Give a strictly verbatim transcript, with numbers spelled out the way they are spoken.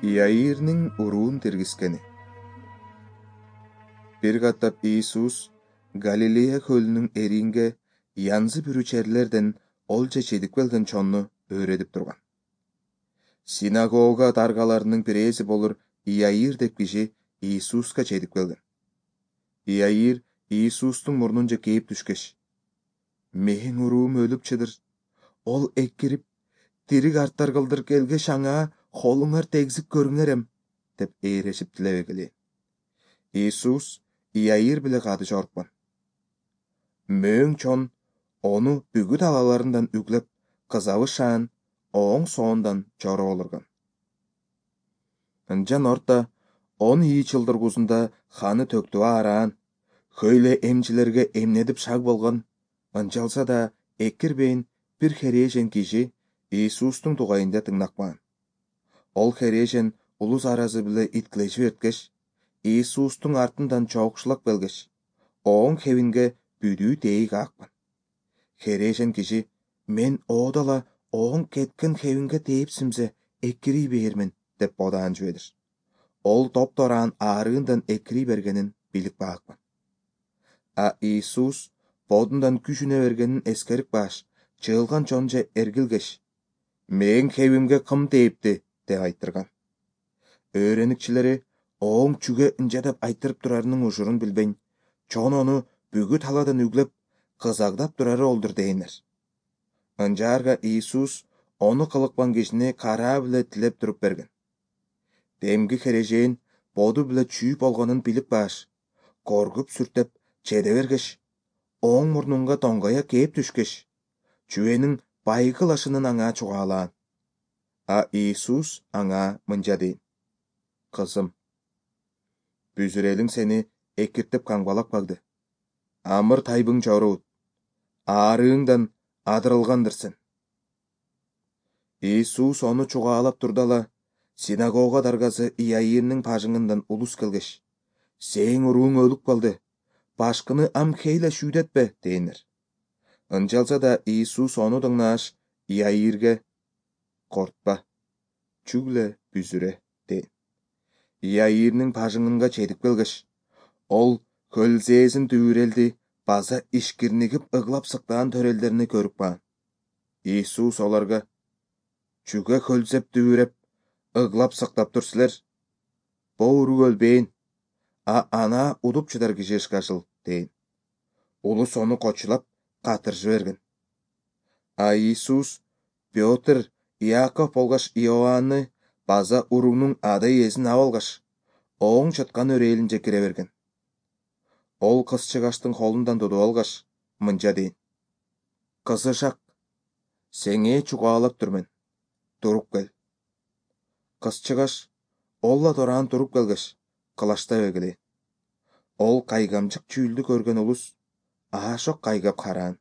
Иаирдин уруун тергискени. Бир каттап Иисус Галилея көлүнүн эринге янзы бүрүчерлерден олча чедип келген чонну өөредип турган. Синагога даргаларынын бирээси болур Иаир деп киши Иисуска чедип келген. Иаир Иисустун мурнунча кээп түшкеш: "Менин уруум өлүп чыдыр. Ол экирип, тирик арттар кылдыр келгеш аңаа холуңар тегзип көрүңерем" деп ээрешип тилебегиле. Иисус Иаир биле кады жоруккан. Мөөң чон ону бүгү талаларынан үглеп, кызабы шаан оң соондан жороо олурган. Ынчан орта он ии чылдыргузунда ханы төктү аараан, хөйлө эмчилерге эмнедип шаг болгон, ынчалса да экирбейин бир херээжен киши Иисустун тугайында тыңнакпаган. Ол херээжен улус аразы биле иткилешип эрткеш, Иисустун артынан чоокшулап келгеш, оң хебинге бүдүү тейик аакпан. Херээжен киши: "Мен оодала оң кеткен хебинге тээпсимсе экирий бээрмин" деп бодаан жибедир. Ол топтораан аарыындан экирий бергенин билип баакпан. А Иисус бодундан күч үне бергенин эскерип бааш, чыгылган чонча эргилгеш: "Мен хебимге кым тээпти?" деп айтырган. Өөреникчилери оң чүгө ынча деп айтырып турарынын ушурун билбейн, чон ону бүгү таладан үглеп, кызагдап турары олдур дейнер. Ынчаарга Иисус ону кылыкпан кишини караа биле тилеп туруп берген. Демги хережейин боду биле чүй болгонун билип бааш, коргуп сүртеп чеде бергеш, оң мурнунга тоңгоя кээп түшкеш, чүбөнүн байгы лашынын аңаа чугаалаан. А Иисус аңаа мынча дейин: "Кызым, бүзүрелиң сени экиртип каңбалак барды. Амыр тайбың жорубут. Аарыыңдан адырылгандырсың." Иисус ону чугаалап турдала, синагога даргасы Иаирдин бажыңындан улус келгеш: "Сээң урууң өлүп калды. Башкыны ам хейле шүүдетпе" дейнер. Ынчалса да Иисус ону дыңнааш, Иаирге: "Кортпа, чүгле бүзүрө" дейин. Иаирдин бажыңынга чедип келгеш, ол хөлзээсин дүбүрелди база ишкирнигип ыглап сыктаан төрөлдерин көрүп калган. Иисус оларга: "Чүгө хөлзеп дүбүреп, ыглап сыктап тур силер? Бу уруу өлбөйүн, а ана удуп чыдар киши ышкажыл" дейин. Улус ону кочулап, катыржы берген. А Иисус Пётр, Иаков болгоч Иоанны база уруунун ада ийесин ап алгаш, оң чыткан өрөөлүнчө кире берген. Ол кыз-чыгаштын колундан тутуп алгаш, мынча дейин: "Кызышак, сеңээ чугаалап турмун. Туруп кел." Кыз-чыгаш олла дораан туруп келгеш, кылачтабегиле. Ол кайгамчык чүүлдү көргөн улус аашок кайгап караан.